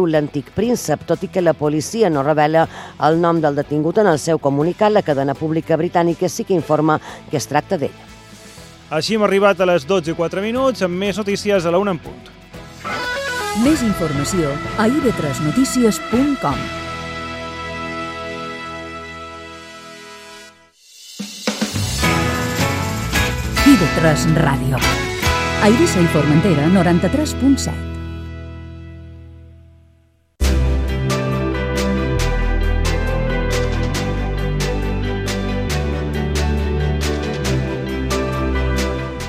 l'antic príncep, tot i que la policia no revela el nom del detingut en el seu comunicat. La cadena pública britànica sí que informa que es tracta d'ell. Així hem arribat a les 12:04, amb més notícies a la 1 en punt. Més informació a ib3notícies.com. IB3 Ràdio. A Eivissa i Formentera, 93.7.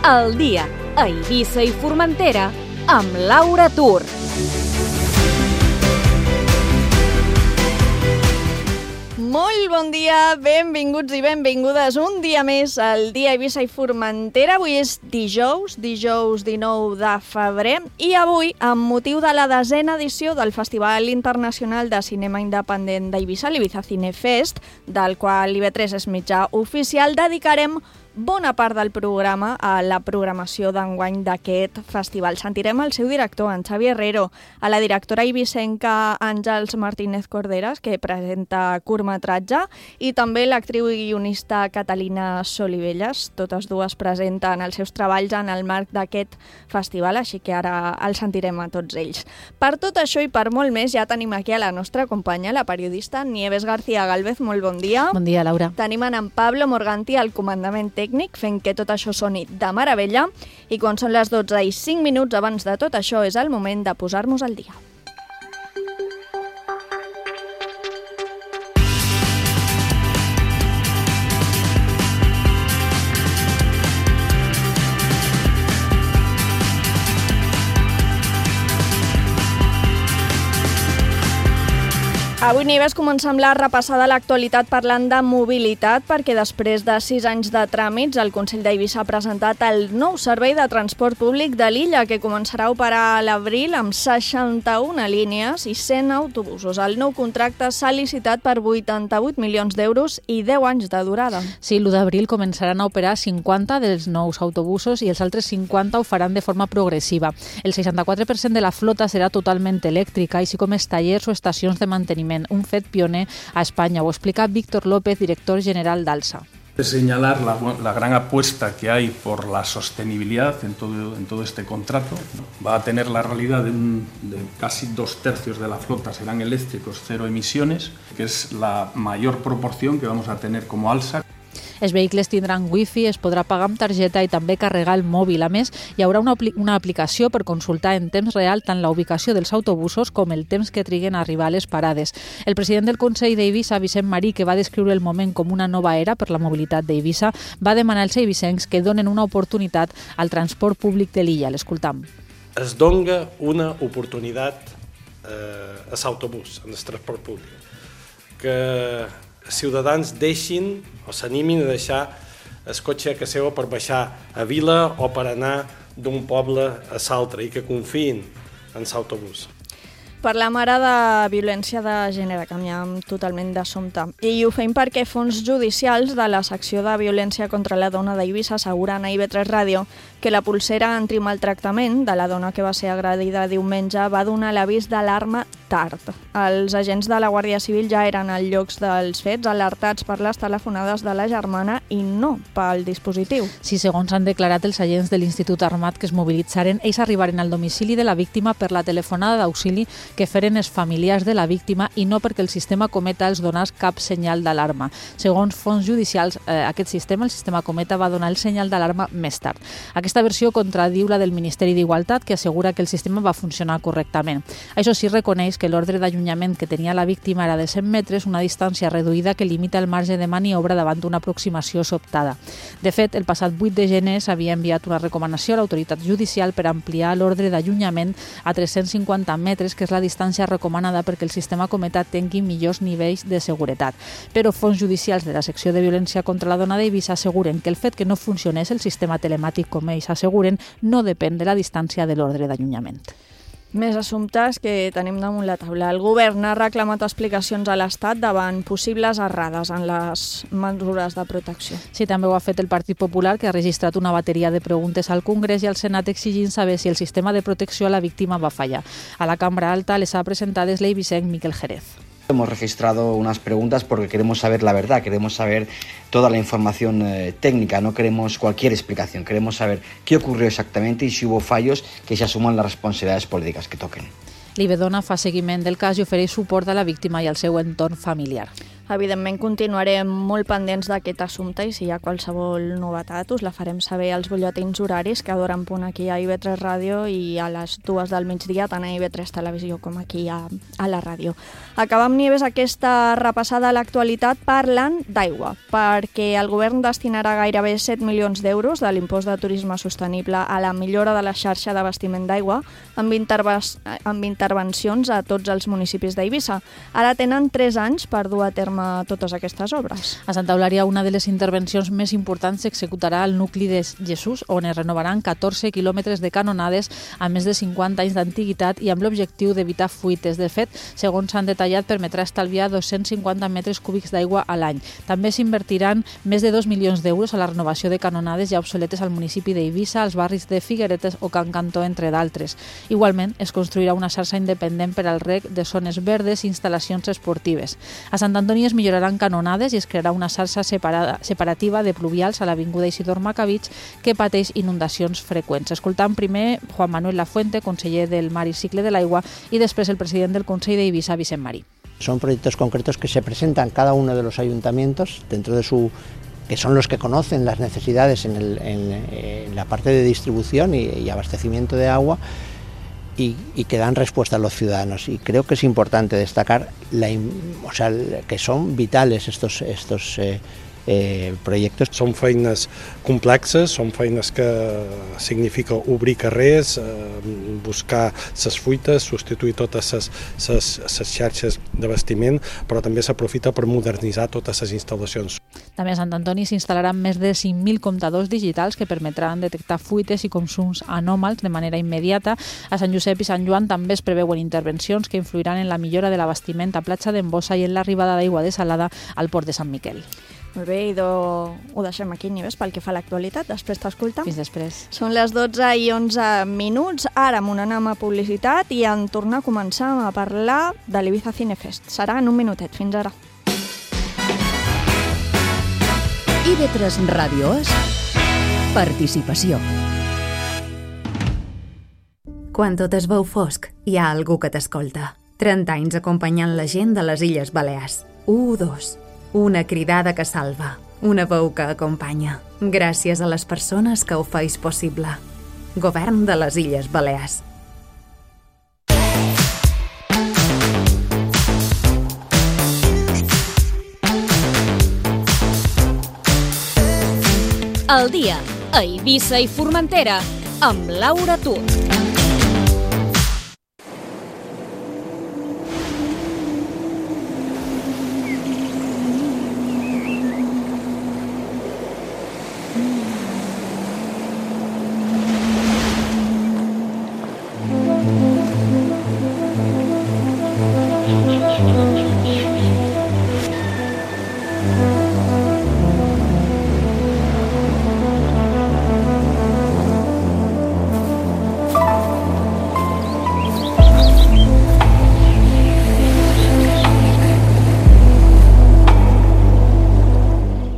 El dia a Eivissa i Formentera amb Laura Tur. Molt bon dia, benvinguts i benvingudes un dia més al dia a Eivissa i Formentera. Avui és dijous 19 de febrer, i avui, amb motiu de la 10a edició del Festival Internacional de Cinema Independent d'Eivissa, l'Ibiza Cine Fest, del qual IB3 és mitjà oficial, dedicarem bona part del programa a la programació d'enguany d'aquest festival. Sentirem el seu director, en Xavi Herrero, a la directora eivissenca Àngels Martínez Corderas, que presenta curtmetratge, i també l'actriu i guionista Catalina Solivelles. Totes dues presenten els seus treballs en el marc d'aquest festival, així que ara els sentirem a tots ells. Per tot això i per molt més, ja tenim aquí a la nostra companya, la periodista Nieves García Gálvez. Molt bon dia. Bon dia, Laura. Tenim en Pablo Morganti al comandament tècnic, fent que tot això soni de meravella, i quan són les 12:05 abans de tot això és el moment de posar-nos al dia. Avui, Nieves, comencem la repassada a l'actualitat parlant de mobilitat, perquè després de 6 anys de tràmits, el Consell d'Eivissa ha presentat el nou servei de transport públic de l'illa, que començarà a operar a l'abril amb 61 línies i 100 autobusos. El nou contracte s'ha licitat per 88 milions d'euros i 10 anys de durada. Sí, l'1 d'abril començaran a operar 50 dels nous autobusos i els altres 50 ho faran de forma progressiva. El 64% de la flota serà totalment elèctrica, així com els tallers o estacions de manteniment, un fet pioner a España. Ho explica Víctor López, director general d'Alsa. Señalar la gran apuesta que hay por la sostenibilidad en todo este contrato. Va a tener la realidad de casi 2/3 de la flota serán eléctricos, 0 emisiones, que es la mayor proporción que vamos a tener como Alsa. Els vehicles tindran wifi, es podrà pagar amb targeta i també carregar el mòbil. A més, hi haurà una aplicació per consultar en temps real tant la ubicació dels autobusos com el temps que triguen a arribar a les parades. El president del Consell d'Eivissa, Vicent Marí, que va descriure el moment com una nova era per la mobilitat d'Eivissa, va demanar als eivissencs que donen una oportunitat al transport públic de l'illa. L'escoltam. Es dona una oportunitat a l'autobús, en el transport públic, que ciutadans deixin o s'animin a deixar el cotxe a casa seva per baixar a vila o per anar d'un poble a l'altre, i que confiïn en l'autobús. Parlem ara de violència de gènere, canviem totalment d'assumpte. I ho fem perquè fons judicials de la secció de violència contra la dona d'Eivissa asseguren a IB3 Ràdio que la pulsera antimaltractament de la dona que va ser agredida diumenge va donar l'avís d'alarma tard. Els agents de la Guàrdia Civil ja eren als llocs dels fets, alertats per les telefonades de la germana i no pel dispositiu. Sí, segons han declarat els agents de l'Institut Armat que es mobilitzaren, ells arribaren al domicili de la víctima per la telefonada d'auxili que feren els familiars de la víctima i no perquè el sistema Cometa els donés cap senyal d'alarma. Segons fons judicials, aquest sistema, el sistema Cometa, va donar el senyal d'alarma més tard. Aquesta versió contradiu la del Ministeri d'Igualtat, que assegura que el sistema va funcionar correctament. Això sí, reconeix que l'ordre d'allunyament que tenia la víctima era de 100 metres, una distància reduïda que limita el marge de maniobra davant d'una aproximació sobtada. De fet, el passat 8 de gener s'havia enviat una recomanació a l'autoritat judicial per ampliar l'ordre d'allunyament a 350 metres, que és la distància recomanada perquè el sistema Cometa tingui millors nivells de seguretat. Però fons judicials de la secció de violència contra la dona d'Eivissa asseguren que el fet que no funcionés el sistema telemàtic, com ells asseguren, no depèn de la distància de l'ordre d'allunyament. Més assumptes que tenim damunt la taula. El govern ha reclamat explicacions a l'Estat davant possibles errades en les mesures de protecció. Sí, també ho ha fet el Partit Popular, que ha registrat una bateria de preguntes al Congrés i al Senat exigint saber si el sistema de protecció a la víctima va fallar. A la Cambra Alta les ha presentades l'eivissenc Miquel Jerez. Hemos registrado unas preguntas porque queremos saber la verdad, queremos saber toda la información técnica, no queremos cualquier explicación, queremos saber qué ocurrió exactamente y si hubo fallos, que se asuman las responsabilidades políticas que toquen. L'Ibedona fa seguiment del cas i ofereix suport a la víctima i al seu entorn familiar. Evidentment continuarem molt pendents d'aquest assumpte i si hi ha qualsevol novetat us la farem saber als butlletins horaris que d'hora en punt aquí a IB3 Ràdio i a les 2 del migdia tant a IB3 Televisió com aquí a la ràdio. Acabem, Nieves, aquesta repassada a l'actualitat parlant d'aigua, perquè el govern destinarà gairebé 7 milions d'euros de l'impost de turisme sostenible a la millora de la xarxa d'abastiment d'aigua amb intervencions a tots els municipis d'Eivissa. Ara tenen 3 anys per dur a terme totes aquestes obres. A Santa Eulària, una de les intervencions més importants s'executarà al nucli de Jesús, on es renovaran 14 quilòmetres de canonades a més de 50 anys d'antiguitat i amb l'objectiu d'evitar fuites. De fet, segons s'han detallat, permetrà estalviar 250 metres cúbics d'aigua a l'any. També s'invertiran més de 2 milions d'euros a la renovació de canonades ja obsoletes al municipi d'Eivissa, als barris de Figueretes o Can Cantó, entre d'altres. Igualment, es construirà una xarxa independent per al reg de zones verdes i instal·lacions esportives. A Sant Antoni es milloraran canonades i es crearà una xarxa separativa de pluvials a l'avinguda Isidor Macabich que pateix inundacions freqüents. Escoltant primer Juan Manuel Lafuente, conseller del Mar i Cicle de l'Aigua, i després el president del Consell d'Eivissa, Vicent Marí. Son proyectos concretos que se presentan cada uno de los ayuntamientos dentro de su que son los que conocen las necesidades en la parte de distribución y abastecimiento de agua y que dan respuesta a los ciudadanos. Y creo que es importante destacar que son vitales estos projectes. Són feines complexes, són feines que significa obrir carrers, buscar les fuites, substituir totes les xarxes d'abastiment, però també s'aprofita per modernitzar totes les instal·lacions. També a Sant Antoni s'instal·laran més de 5.000 comptadors digitals que permetran detectar fuites i consums anòmals de manera immediata. A Sant Josep i Sant Joan també es preveuen intervencions que influiran en la millora de l'abastiment a Platja d'Embossa i en l'arribada d'aigua desalada al port de Sant Miquel. Molt bé, ho deixem aquí, Nieves, pel que fa a l'actualitat. Després t'escoltem. Fins després. Són les 12:11 minuts. Ara amb una anem a publicitat i en tornar a començar a parlar de l'Ibiza Cinefest. Serà en un minutet. Fins ara. IB3 Ràdio és participació. Quan tot es veu fosc, hi ha algú que t'escolta. 30 anys acompanyant la gent de les Illes Balears. 1-2. Una cridada que salva. Una veu que acompanya. Gràcies a les persones que ho feis possible. Govern de les Illes Balears. El dia a Eivissa i Formentera amb Laura Tur.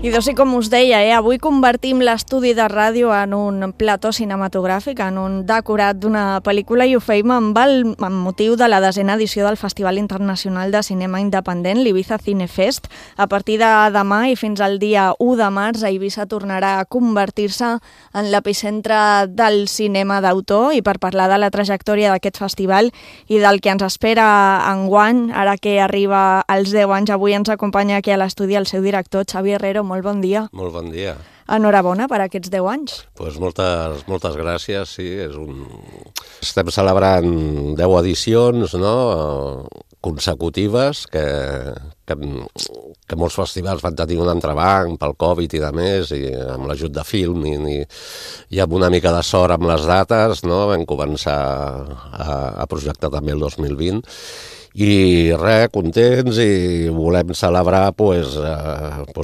I doncs, com us deia, avui convertim l'estudi de ràdio en un plató cinematogràfic, en un decorat d'una pel·lícula, i ho feim amb motiu de la 10a edició del Festival Internacional de Cinema Independent, l'Ibiza Cinefest. A partir de demà i fins al dia 1 de març, Eivissa tornarà a convertir-se en l'epicentre del cinema d'autor, i per parlar de la trajectòria d'aquest festival i del que ens espera enguany, ara que arriba als 10 anys, avui ens acompanya aquí a l'estudi el seu director, Xavi Herrero. Molt bon dia. Molt bon dia. Enhorabona per aquests 10 anys. Pues moltes gràcies, sí. Estem celebrant 10 edicions, no? consecutives, que molts festivals van tenir un entrebanc pel Covid i de més, i amb l'ajut de Filmin i amb una mica de sort amb les dates, no? Vam començar a projectar també el 2020, i res, contents, i volem celebrar pues,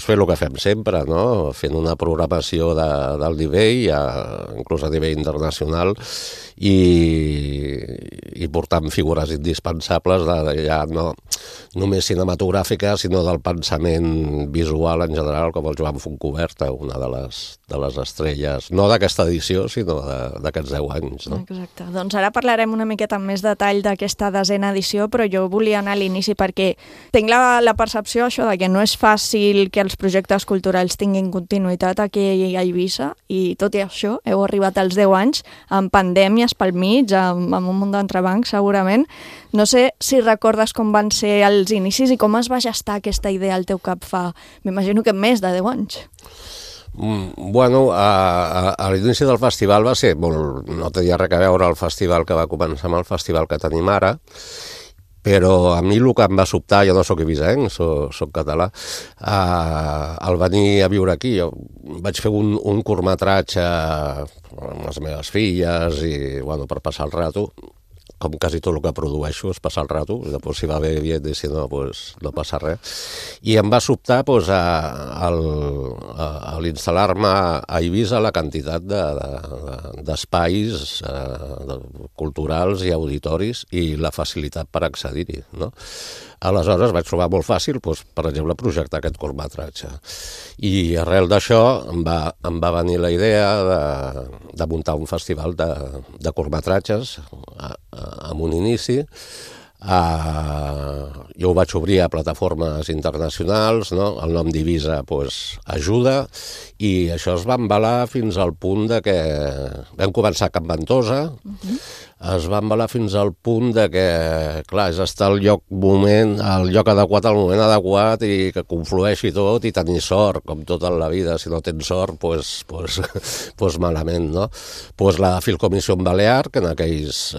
fer el que fem sempre, no? Fent una programació del nivell, inclús a nivell internacional, i portant figures indispensables ja no només cinematogràfiques, sinó del pensament visual en general, com el Joan Fontcoberta, una de les estrelles, no d'aquesta edició, sinó d'aquests 10 anys. No? Exacte. Doncs ara parlarem una miqueta amb més detall d'aquesta 10a edició, però jo volia anar a l'inici perquè tinc la percepció això de que no és fàcil que els projectes culturals tinguin continuïtat aquí a Eivissa, i tot i això heu arribat als 10 anys amb pandèmies pel mig, amb un munt d'entrebancs segurament. No sé si recordes com van ser els inicis i com es va gestar aquesta idea al teu cap fa, m'imagino que més de 10 anys. Bueno, a l'inici del festival va ser molt... No tenia res a veure el festival que va començar amb el festival que tenim ara, però a mi el que em va sobtar, jo no soc eivissenc, soc català, al venir a viure aquí, jo vaig fer un curtmetratge amb les meves filles i, bueno, per passar el rato, com quasi tot el que produeixo és passar el rato, després si va bé, bé, i si no, pues, no passa res. I em va sobtar pues, a l'instal·lar-me a Eivissa la quantitat d'espais culturals i auditoris i la facilitat per accedir-hi, no? Aleshores vaig trobar molt fàcil, doncs, per exemple, projectar aquest curtmetratge. I arrel d'això em va venir la idea de muntar un festival de curtmetratges amb un inici. Jo ho vaig obrir a plataformes internacionals, no? El nom d'Eivissa ajuda, i això es va embalar fins al punt de que vam començar a Can Ventosa, es va embalar fins al punt de que, clar, és estar al lloc adequat al moment adequat i que conflueixi tot i tenir sort, com tot en la vida. Si no tens sort, doncs malament, no? Doncs la Filcomissió Balear, que en aquells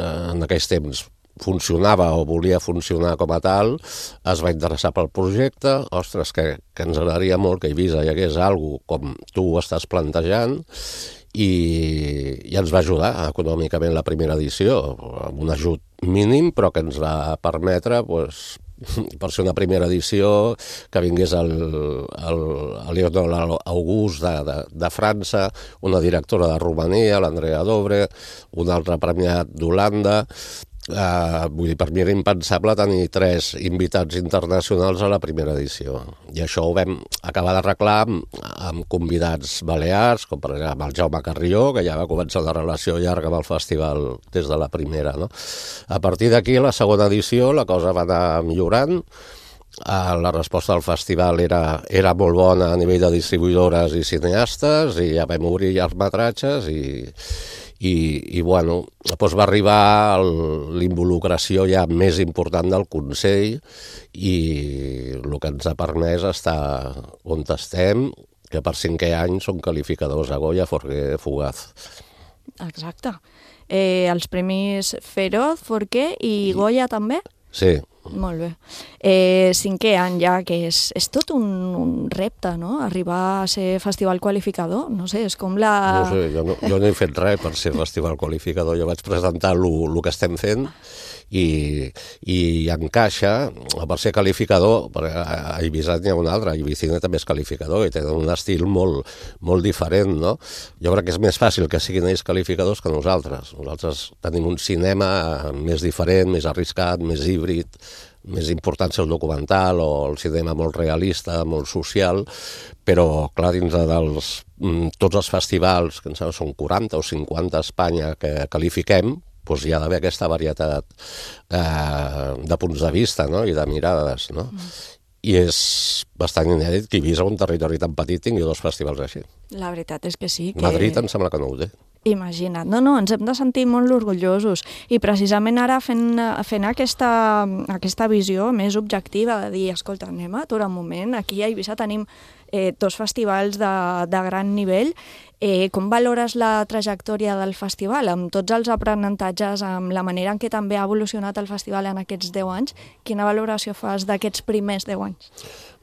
temps funcionava o volia funcionar com a tal, es va interessar pel projecte. Ostres, que ens agradaria molt que a Eivissa hi hagués alguna cosa com tu ho estàs plantejant, i ens va ajudar econòmicament la primera edició, amb un ajut mínim, però que ens va permetre, per ser una primera edició, que vingués el Leonel August de França, una directora de Romania, l'Andrea Dobre, un altre premiat d'Holanda. Vull dir, per mi era impensable tenir 3 invitats internacionals a la primera edició, i això ho vam acabar d'arreglar amb convidats balears, com per exemple el Jaume Carrió, que ja va començar una relació llarga amb el festival des de la primera, no? A partir d'aquí, la segona edició, la cosa va anar millorant. La resposta del festival era molt bona a nivell de distribuïdores i cineastes, i ja vam obrir llargmetratges, i bueno, doncs va arribar l'involucració ja més important del Consell, i el que ens ha permès estar on estem, que per 5è any són qualificadors a Goya, Forqué, Fugaz. Exacte. Els premis Feroz, Forqué i Goya també? Sí. Molt bé. 5è any ja, que és tot un repte, no? Arribar a ser festival qualificador, no sé, és com la... No sé, jo no he fet res per ser festival qualificador, jo vaig presentar el que estem fent, i encaixa per ser qualificador. A Eivissa n'hi ha un altre, Eivissina també és qualificador i tenen un estil molt diferent, no? Jo crec que és més fàcil que siguin ells qualificadors que nosaltres. Nosaltres tenim un cinema més diferent, més arriscat, més híbrid, més importància el documental o el cinema molt realista, molt social, però clar, dins de tots els festivals, que són 40 o 50 a Espanya que qualifiquem, doncs hi ha d'haver aquesta varietat de punts de vista, no? I de mirades, no? I és bastant inèdit que Eivissa, un territori tan petit, tingui 2 festivals així. La veritat és que sí. Madrid em sembla que no ho té. Imagina't. No, ens hem de sentir molt orgullosos. I precisament ara fent aquesta visió més objectiva de dir, escolta, anem a aturar un moment, aquí a Eivissa tenim 2 festivals de gran nivell. Com valores la trajectòria del festival? Amb tots els aprenentatges, amb la manera en què també ha evolucionat el festival en aquests 10 anys, quina valoració fas d'aquests primers 10 anys?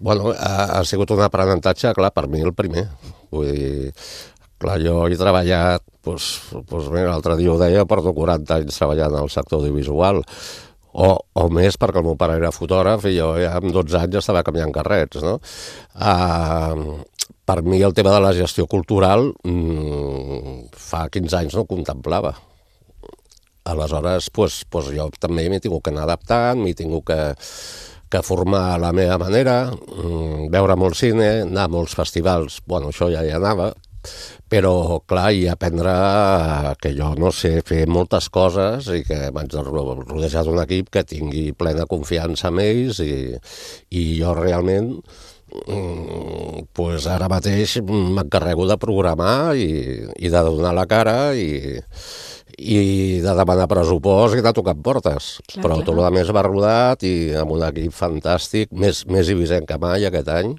Bueno, ha sigut un aprenentatge, clar, per mi el primer. Vull dir, clar, jo he treballat, l'altre dia ho deia, porto 40 anys treballant al sector audiovisual, o més, perquè el meu pare era fotògraf i jo amb 12 anys estava canviant carrets, no? Per mi el tema de la gestió cultural fa 15 anys no ho contemplava. Aleshores, jo també m'he tingut que anar adaptant, m'he tingut que formar a la meva manera, veure molt cine, anar a molts festivals, bueno, això ja hi anava, però, clar, i aprendre que jo no sé fer moltes coses i que m'haig rodejar d'un equip que tingui plena confiança en ells i jo realment ara mateix m'encarrego de programar i de donar la cara i de demanar pressupost i de tocar portes. Però tot el més va rodat i amb un equip fantàstic, més eivissent que mai aquest any,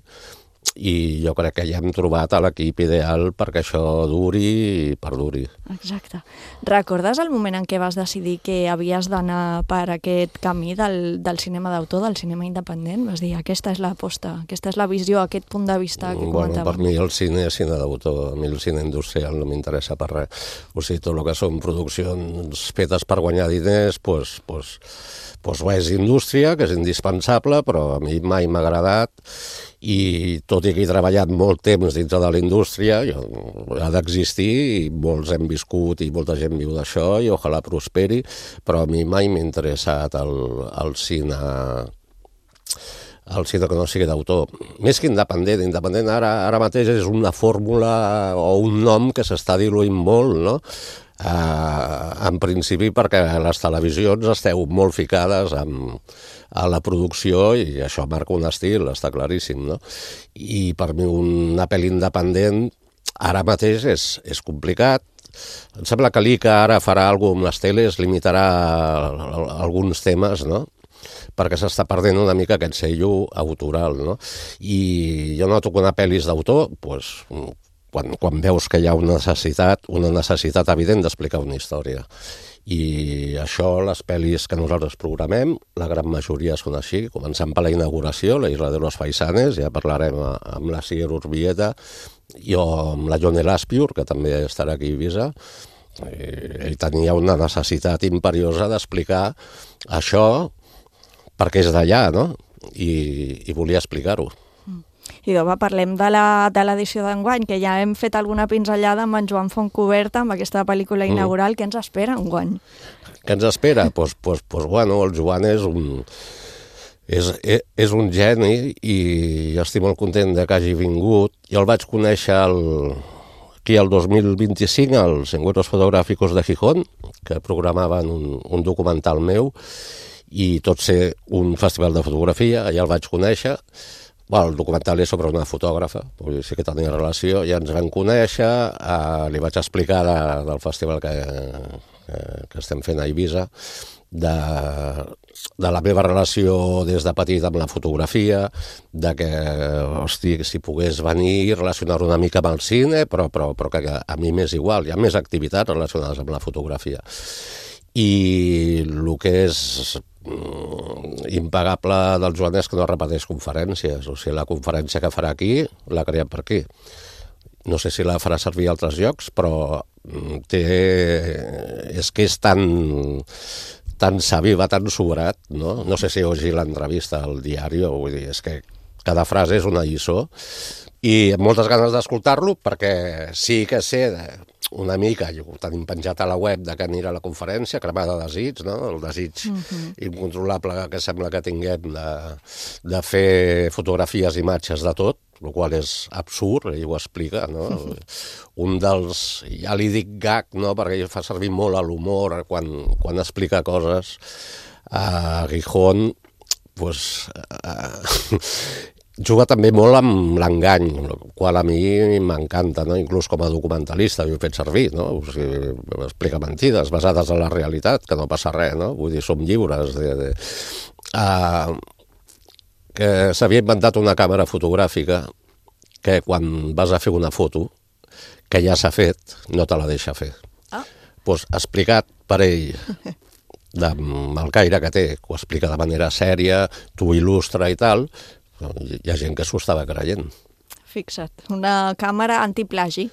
i jo crec que ja hem trobat l'equip ideal perquè això duri i perduri. Exacte. Recordes el moment en què vas decidir que havies d'anar per aquest camí del cinema d'autor, del cinema independent? Vas dir, aquesta és l'aposta, aquesta és la visió, aquest punt de vista que comentàvem. Per mi el cine és cine d'autor, a mi el cine industrial no m'interessa per res. O sigui, tot el que són produccions fetes per guanyar diners, és indústria, que és indispensable, però a mi mai m'ha agradat, i tot i que he treballat molt temps dintre de la indústria, ha d'existir, i molts hem viscut i molta gent viu d'això, i ojalà prosperi, però a mi mai m'ha interessat el cine que no sigui d'autor. Més que independent. Independent ara mateix és una fórmula o un nom que s'està diluint molt, no? En principi perquè les televisions esteu molt ficades a la producció i això marca un estil, està claríssim, no? I per mi una pel·li independent ara mateix és complicat. Em sembla que l'ICA ara farà alguna cosa amb les teles, limitarà alguns temes, no? Perquè s'està perdent una mica aquest sello autoral, no? I jo noto que una pel·li és d'autor, quan veus que hi ha una necessitat evident d'explicar una història. I això, les pel·lis que nosaltres programem, la gran majoria són així, començant per la inauguració, la Isla de los Faisanes, ja parlarem amb la Sier Urbieta, i amb la Jon Elaspiur, que també estarà aquí a Eivissa. Ell tenia una necessitat imperiosa d'explicar això perquè és d'allà, no? I volia explicar-ho. I parlem de l'edició d'enguany, que ja hem fet alguna pinzellada amb en Joan Fontcoberta, amb aquesta pel·lícula inaugural. Què ens espera enguany? Què ens espera? Bueno, el Joan és un geni i estic molt content que hagi vingut. Jo el vaig conèixer aquí el 2025 als Encuentros Fotográficos de Gijón, que programaven un documental meu, i tot ser un festival de fotografia, allà el vaig conèixer. El documental és sobre una fotògrafa, sí que tenia relació, ja ens vam conèixer, li vaig explicar del festival que estem fent a Eivissa, de la meva relació des de petit amb la fotografia, de que, si pogués venir i relacionar-ho una mica amb el cine, però que a mi m'és igual, hi ha més activitats relacionades amb la fotografia. I el que és impagable del Joan és que no repeteix conferències, o sigui, la conferència que farà aquí la crea per aquí. No sé si la farà servir a altres llocs, però és que és tan savi, va tan sobrat, no? No sé si llegir l'entrevista al diari, vull dir, és que cada frase és una lliçó, i amb moltes ganes d'escoltar-lo, perquè sí que sé una mica, ho tenim penjat a la web de que anirà a la conferència, cremada de desig, no? El desig incontrolable que sembla que tinguem de fer fotografies i imatges de tot, el qual és absurd, ell ho explica, no? Un dels, ja li dic gag, no? Perquè ell fa servir molt a l'humor quan explica coses. A Gijón, juga també molt amb l'engany, el qual a mi m'encanta, no? Inclús com a documentalista ho he fet servir, no? O sigui, explica mentides basades en la realitat, que no passa res, no? Vull dir, som lliures que s'havia inventat una càmera fotogràfica que quan vas a fer una foto, que ja s'ha fet, no te la deixa fer. Doncs explicat per ell, amb el caire que té, que ho explica de manera sèria, t'ho il·lustra i tal, hi ha gent que s'ho estava creient. Fixa't, una càmera antiplagi.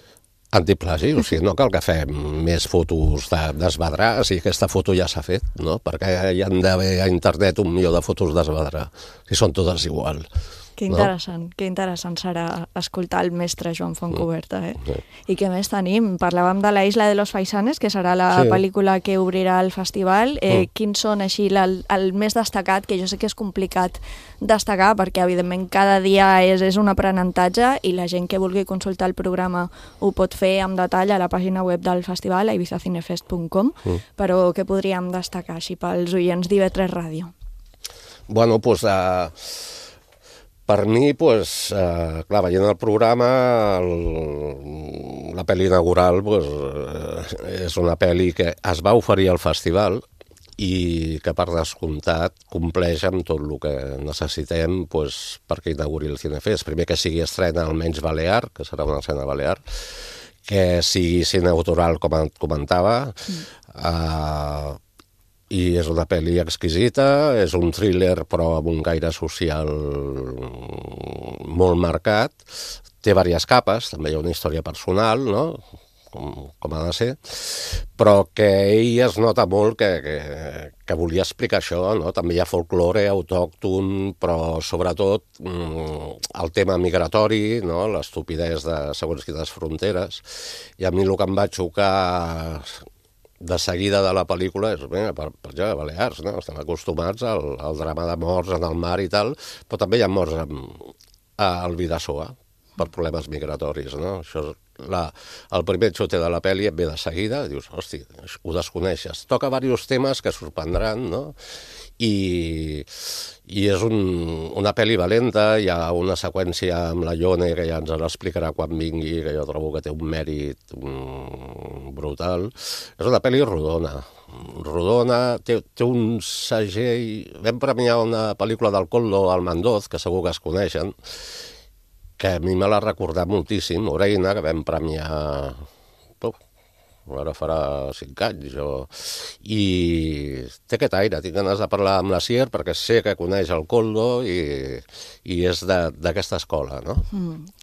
Antiplagi, o sigui, no cal que fem més fotos d'esbadrar, si aquesta foto ja s'ha fet, no? Perquè hi han d'haver a internet 1 milió de fotos d'esbadrar, si són totes igual. Que interessant serà escoltar el mestre Joan Fontcuberta, Sí. I què més tenim? Parlàvem de La Isla de los Faisanes, que serà la pel·lícula que obrirà el festival. Quins són així el més destacat, que jo sé que és complicat destacar, perquè evidentment cada dia és un aprenentatge i la gent que vulgui consultar el programa ho pot fer amb detall a la pàgina web del festival, a ibizacinefest.com, però què podríem destacar així pels oients d'IV3 Ràdio? Bueno, doncs... Per mi, clar, veient el programa, la pel·li inaugural és una pel·li que es va oferir al festival i que, per descomptat, compleix amb tot el que necessitem perquè inauguri el Cinefest. Primer, que sigui estrena almenys balear, que serà una escena balear, que sigui cine autoral, com et comentava, i és una pel·li exquisita, és un thriller però amb un caire social molt marcat, té diverses capes, també hi ha una història personal, no? Com ha de ser, però que ell es nota molt que volia explicar això, no? També hi ha folklore autòcton, però sobretot el tema migratori, no? L'estupidesa de segons quines fronteres, i a mi el que em va xocar de seguida de la pel·lícula és, per exemple, Balears, no? Estem acostumats al drama de morts en el mar i tal, però també hi ha morts al Bidasoa per problemes migratoris, no? Això el primer xote de la pel·li et ve de seguida, dius, hosti, ho desconeixes. Toca diversos temes que sorprendran, no? I és una pel·li valenta, hi ha una seqüència amb la Ione que ja ens l'explicarà quan vingui, que jo trobo que té un mèrit brutal. És una pel·li rodona, té un segell... Vam premiar una pel·lícula del Coldo Almandoz, que segur que es coneixen, que a mi me l'ha recordat moltíssim, Oreina, que vam premiar... ara farà 5 anys, i té aquest aire, tinc ganes de parlar amb la Sier perquè sé que coneix el Coldo i és d'aquesta escola, no?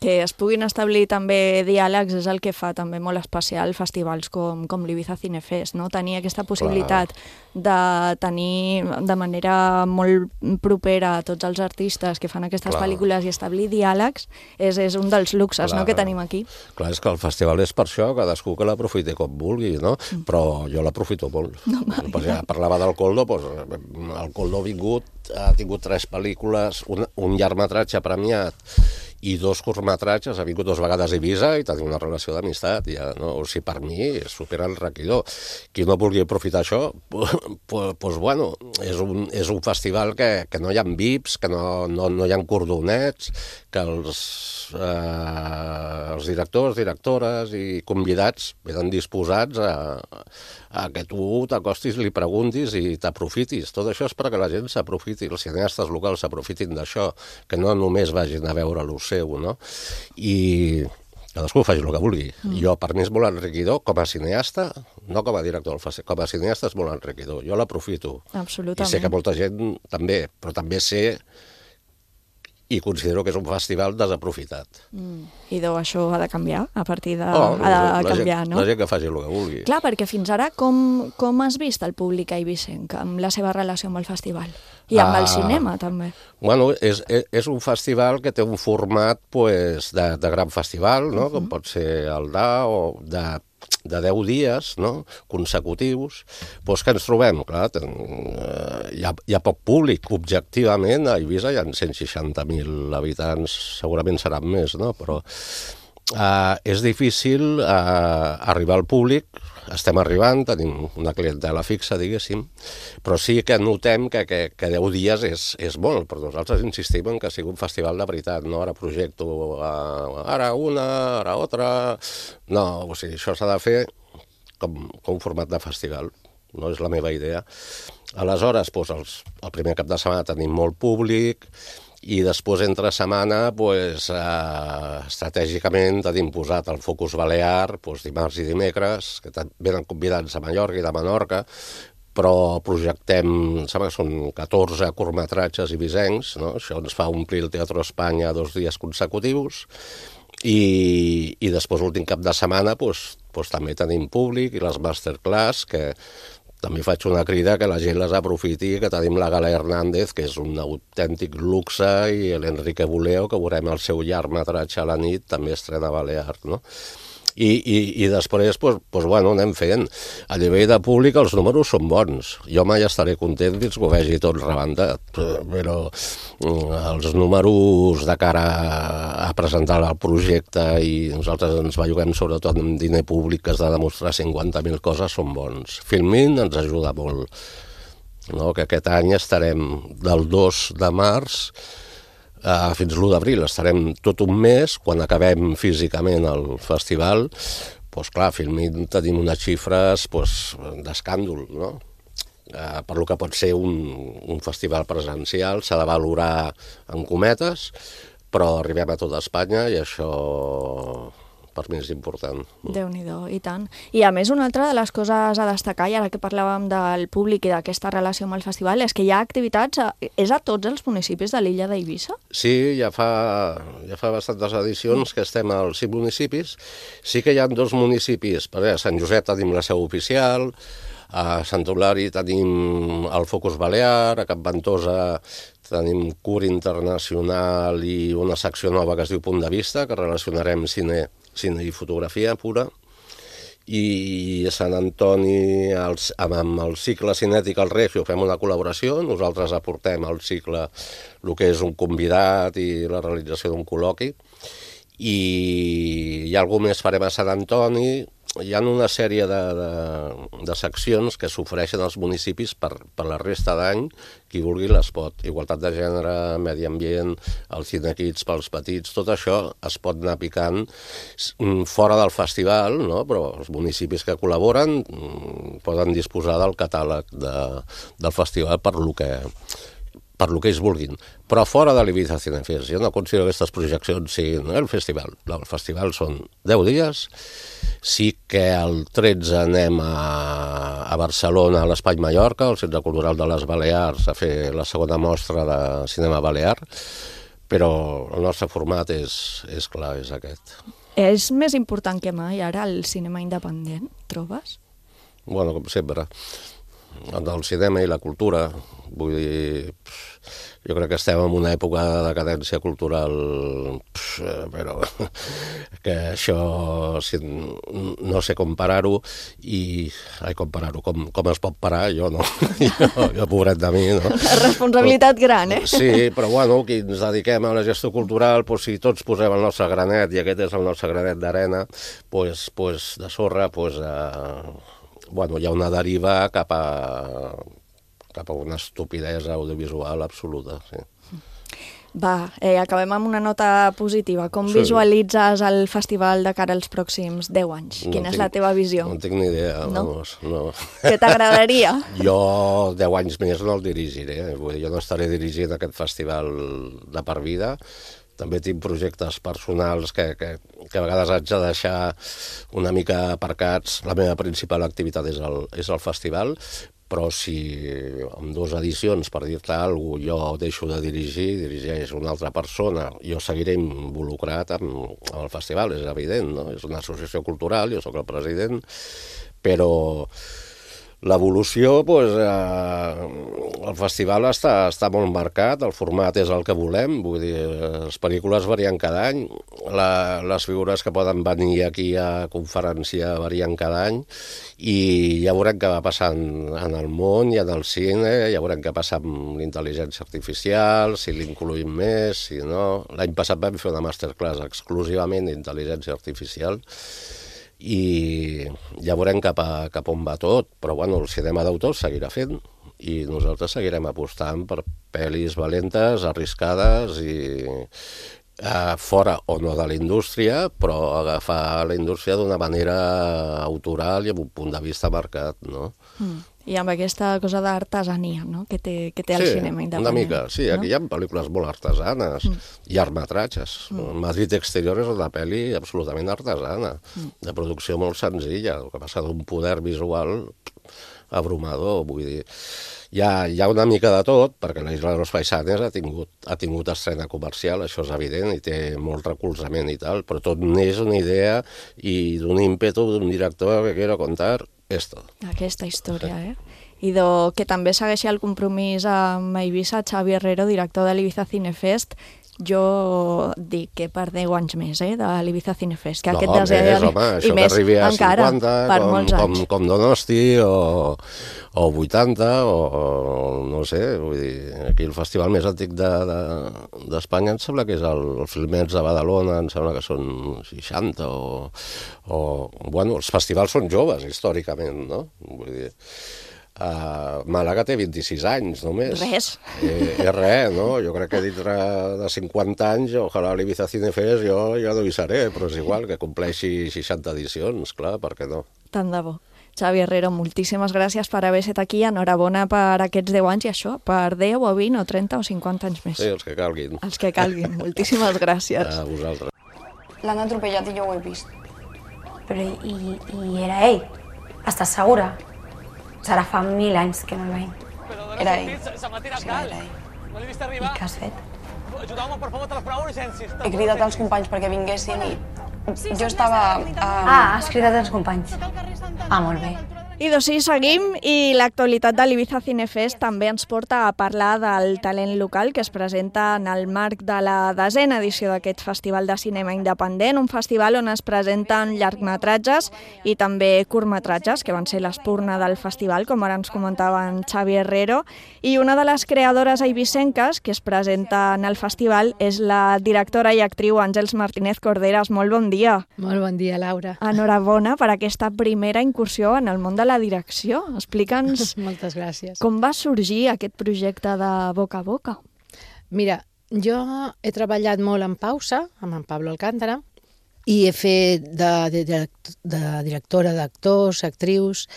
Que es puguin establir també diàlegs és el que fa també molt especial festivals com l'Ibiza Cinefest, no? Tenir aquesta possibilitat de tenir de manera molt propera a tots els artistes que fan aquestes pel·lícules i establir diàlegs és un dels luxes que tenim aquí. Clar, és que el festival és per això, cadascú que l'aprofiti com vulgui, no? Però jo l'aprofito molt. Ja parlava del Coldo, el Coldo ha tingut 3 pel·lícules, un llargmetratge premiat i 2 curtmetratges, ha vingut 2 vegades a Ibiza i tenim una relació d'amistat, ja, no? O sigui, per mi és superenriquidor. Qui no vulgui aprofitar això, doncs, bueno, és un festival que no hi ha VIPs, que no hi ha cordonets, que els directors, directores i convidats venen disposats a que tu t'acostis, li preguntis i t'aprofitis. Tot això és perquè la gent s'aprofiti, els cineastes locals s'aprofitin d'això, que no només vagin a veure el seu, no? I cadascú faci el que vulgui. Jo, per mi és molt enriquidor, com a cineasta, no com a director del festival, com a cineasta és molt enriquidor. Jo l'aprofito. Absolutament. I sé que molta gent també, però també sé i considero que és un festival desaprofitat. I això ha de canviar, a partir de... ha de canviar, no? La gent que faci el que vulgui. Clar, perquè fins ara com has vist el públic eivissenc amb la seva relació amb el festival? I amb el cinema, també. Bueno, és un festival que té un format de gran festival, no? Com pot ser el DA o de 10 dies, no? Consecutius, doncs que ens trobem, clar, hi ha poc públic, objectivament, a Eivissa hi ha 160.000 habitants, segurament seran més, no? Però és difícil arribar al públic. Estem arribant, tenim una clientela fixa, diguéssim, però sí que notem que 10 dies és molt, però nosaltres insistim en que sigui un festival de veritat, no? Ara projecto ara una, ara altra... No, o sigui, això s'ha de fer com un format de festival, no és la meva idea. Aleshores, doncs, el primer cap de setmana tenim molt públic, i després, entre setmana, estratègicament tenim posat el focus balear, dimarts i dimecres, que venen convidats de Mallorca i de Menorca, però projectem, em sembla que són 14 curtmetratges ibisencs, no? Això ens fa omplir el Teatre Espanya 2 dies consecutius, i després, l'últim cap de setmana, també tenim públic i les masterclass, que també faig una crida que la gent les aprofiti, que tenim la Gala Hernández, que és un autèntic luxe, i l'Enrique Buleo, que veurem el seu llargmetratge a la nit, també estrena Balear, no? I després, bueno, anem fent. A nivell de públic els números són bons. Jo mai estaré content fins que ho vegi tot rebentat, però els números de cara a presentar el projecte, i nosaltres ens belluguem sobretot amb diner públic que has de demostrar 50.000 coses, són bons. Filmin ens ajuda molt, no? Que aquest any estarem del 2 de març fins l'1 d'abril, estarem tot un mes. Quan acabem físicament el festival, clar, Filmin tenim unes xifres d'escàndol, no? Per lo que pot ser un festival presencial, s'ha de valorar en cometes, però arribem a tota Espanya i això per mi és important. Déu-n'hi-do, i tant. I a més, una altra de les coses a destacar, i ara que parlàvem del públic i d'aquesta relació amb el festival, és que hi ha activitats, és a tots els municipis de l'illa d'Eivissa? Sí, ja fa bastantes edicions que estem als 5 municipis. Sí que hi ha 2 municipis, a Sant Josep tenim la seu oficial, a Sant Eulàri tenim el Focus Balear, a Cap Ventosa tenim Cur Internacional i una secció nova que es diu Punt de Vista, que relacionarem cine i fotografia pura, i a Sant Antoni amb el cicle cinètic al Regio fem una col·laboració, nosaltres aportem al cicle el que és un convidat i la realització d'un col·loqui, i hi ha alguna més farem a Sant Antoni. Hi ha una sèrie de seccions que s'ofereixen als municipis per la resta d'any, qui vulgui les pot. Igualtat de gènere, medi ambient, els cinequits pels petits, tot això es pot anar picant fora del festival, no? Però els municipis que col·laboren poden disposar del catàleg del festival per lo que ells vulguin. Però fora de l'Ibiza Cinefest, jo no considero que aquestes projeccions siguin el festival. El festival són 10 dies. Sí que el 13 anem a Barcelona, a l'Espai Mallorca, al Centre Cultural de les Balears, a fer la segona mostra de cinema balear, però el nostre format és clar, és aquest. És més important que mai ara el cinema independent, trobes? Bueno, com sempre. El cinema i la cultura, vull dir, jo crec que estem en una època de decadència cultural, però que això no sé com parar-ho, com es pot parar, jo no, jo pobret de mi, no? Responsabilitat gran, eh? Sí, però bueno, qui ens dediquem a la gestió cultural, si tots posem el nostre granet, i aquest és el nostre granet d'arena, de sorra, hi ha una deriva cap a una estupidesa audiovisual absoluta. Sí. Va, acabem amb una nota positiva. Com visualitzes el festival de cara als pròxims 10 anys? Quina és la teva visió? No tinc ni idea, no? No. Què t'agradaria? Jo 10 anys més no el dirigiré. Jo no estaré dirigint aquest festival de per vida. També tinc projectes personals que a vegades haig de deixar una mica aparcats. La meva principal activitat és el festival, però si en 2 edicions, per dir-te alguna cosa, jo deixo de dirigeix una altra persona, jo seguiré involucrat amb el festival, és evident, no? És una associació cultural, jo sóc el president, però L'evolució, el festival està molt marcat, el format és el que volem, vull dir, les pel·lícules varien cada any, les figures que poden venir aquí a conferenciar varien cada any, i ja veurem què va passant en el món i en el cine, ja veurem què passa amb l'intel·ligència artificial, si l'incluïm més, si no. L'any passat vam fer una masterclass exclusivament d'intel·ligència artificial, i ja veurem cap on va tot, però bueno, el cinema d'autor seguirà fent i nosaltres seguirem apostant per pel·lis valentes, arriscades i fora o no de la indústria, però agafar la indústria d'una manera autoral i amb un punt de vista marcat, no? I amb aquesta cosa d'artesania, no?, que té el cinema independent. Una mica, sí, aquí hi ha pel·lícules molt artesanes, llargmetratges. Madrid Exterior és una pel·li absolutament artesana, de producció molt senzilla, el que passa d'un poder visual abrumador, vull dir. Hi ha una mica de tot, perquè la Isla de los Paisanes ha tingut estrena comercial, això és evident, i té molt recolzament i tal, però tot n'és una idea i d'un ímpetu d'un director que quiero contar esto. Aquesta història, I que també segueixi el compromís amb Eivissa, Xavi Herrero, director de l'Ibiza Cinefest. Jo dic que per 10 anys més, de l'Ibiza Cinefest, que aquest desè i més encara, per molts anys. Com Donosti o 80, o no sé, vull dir, aquí el festival més antic d'Espanya em sembla que és el Filmets de Badalona, em sembla que són 60, bueno, els festivals són joves, històricament, no? Vull dir, Màlaga té 26 anys, només. Res. És res, no? Jo crec que dintre de 50 anys, ojalà l'Ibiza Cinefest jo ja no hi seré, però és igual, que compleixi 60 edicions, clar, per què no? Tant de bo. Xavi Herrero, moltíssimes gràcies per haver estat aquí, enhorabona per aquests 10 anys i això, per 10 o 20 o 30 o 50 anys més. Sí, els que calguin. Els que calguin, moltíssimes gràcies. A vosaltres. L'han atropellat i jo ho he vist. Però i era ell? Estàs segura? Serà fa 1000 anys que no el veiem. Era ell. Era ell. I què has fet? He cridat als companys perquè vinguessin i jo estava... has cridat als companys. Molt bé. I doncs sí, seguim, i l'actualitat de l'Ibiza Cinefest també ens porta a parlar del talent local que es presenta en el marc de la 10a edició d'aquest Festival de Cinema Independent, un festival on es presenten llargmetratges i també curtmetratges, que van ser l'espurna del festival, com ara ens comentava en Xavi Herrero, i una de les creadores eivissenques que es presenta en el festival és la directora i actriu Àngels Martínez Corderas. Molt bon dia. Molt bon dia, Laura. Enhorabona per aquesta primera incursió en el món de la direcció. Explica'ns moltes gràcies. Com va sorgir aquest projecte de Boca a Boca. Mira, jo he treballat molt en pausa, amb en Pablo Alcántara, i he fet de directora d'actors, actrius,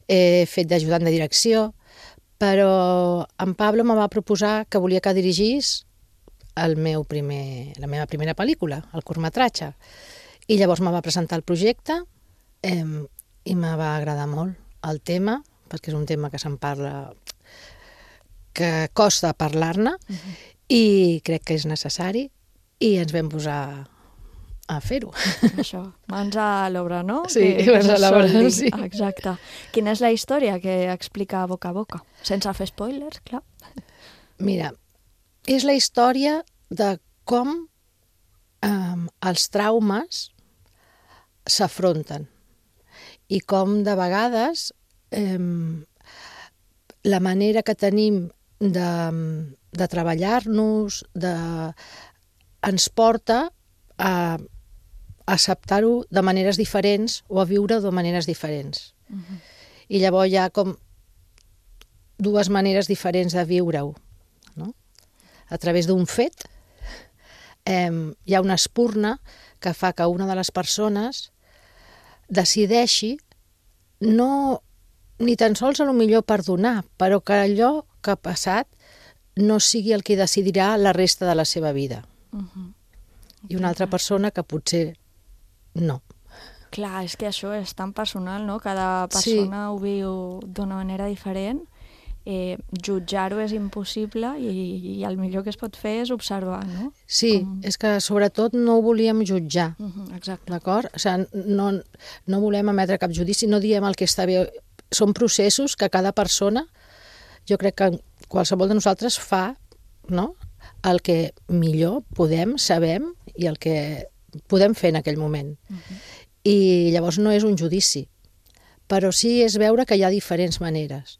he fet d'ajudant de direcció, però en Pablo me va proposar que volia que dirigís la meva primera pel·lícula, el curtmetratge. I llavors me va presentar el projecte i me va agradar molt el tema, perquè és un tema que se'n parla, que costa parlar-ne, i crec que és necessari, i ens vam posar a fer-ho. Això, mans a l'obra, no? Sí, mans a l'obra, sí. Exacte. Quina és la història que explica Boca a Boca? Sense fer spoilers, clar. Mira, és la història de com els traumes s'afronten i com de vegades la manera que tenim de treballar-nos ens porta a acceptar-ho de maneres diferents o a viure-ho de maneres diferents. I llavors hi ha com dues maneres diferents de viure-ho. A través d'un fet hi ha una espurna que fa que una de les persones decideixi no ni tan sols a lo millor perdonar, però que allò que ha passat no sigui el que decidirà la resta de la seva vida. I una altra persona que potser no. Clar, és que això és tan personal, no? Cada persona ho viu d'una manera diferent. Jutjar-ho és impossible i el millor que es pot fer és observar, no? Sí, és que sobretot no ho volíem jutjar. Exacte. D'acord? O sigui, no volem emetre cap judici, no diem el que està bé són processos que cada persona, jo crec que qualsevol de nosaltres fa, no?, el que millor podem, sabem i el que podem fer en aquell moment. I llavors no és un judici, però sí és veure que hi ha diferents maneres.